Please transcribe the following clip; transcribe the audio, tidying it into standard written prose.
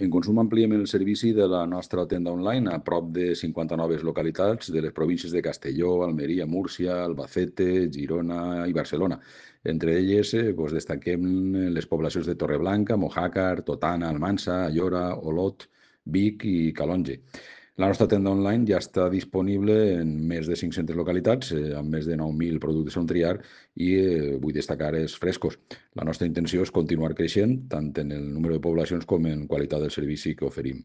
En Consum ampliem el servici de la nostra tenda online a prop de 50 noves localitats de les províncies de Castelló, Almeria, Múrcia, Albacete, Girona i Barcelona. Entre elles destaquem les poblacions de Torreblanca, Mojácar, Totana, Almansa, Ayora, Olot, Vic i Calonge. La nostra tenda online ja està disponible en més de 500 localitats, amb més de 9.000 productes on triar i vull destacar els frescos. La nostra intenció és continuar creixent tant en el número de poblacions com en qualitat del servici que oferim.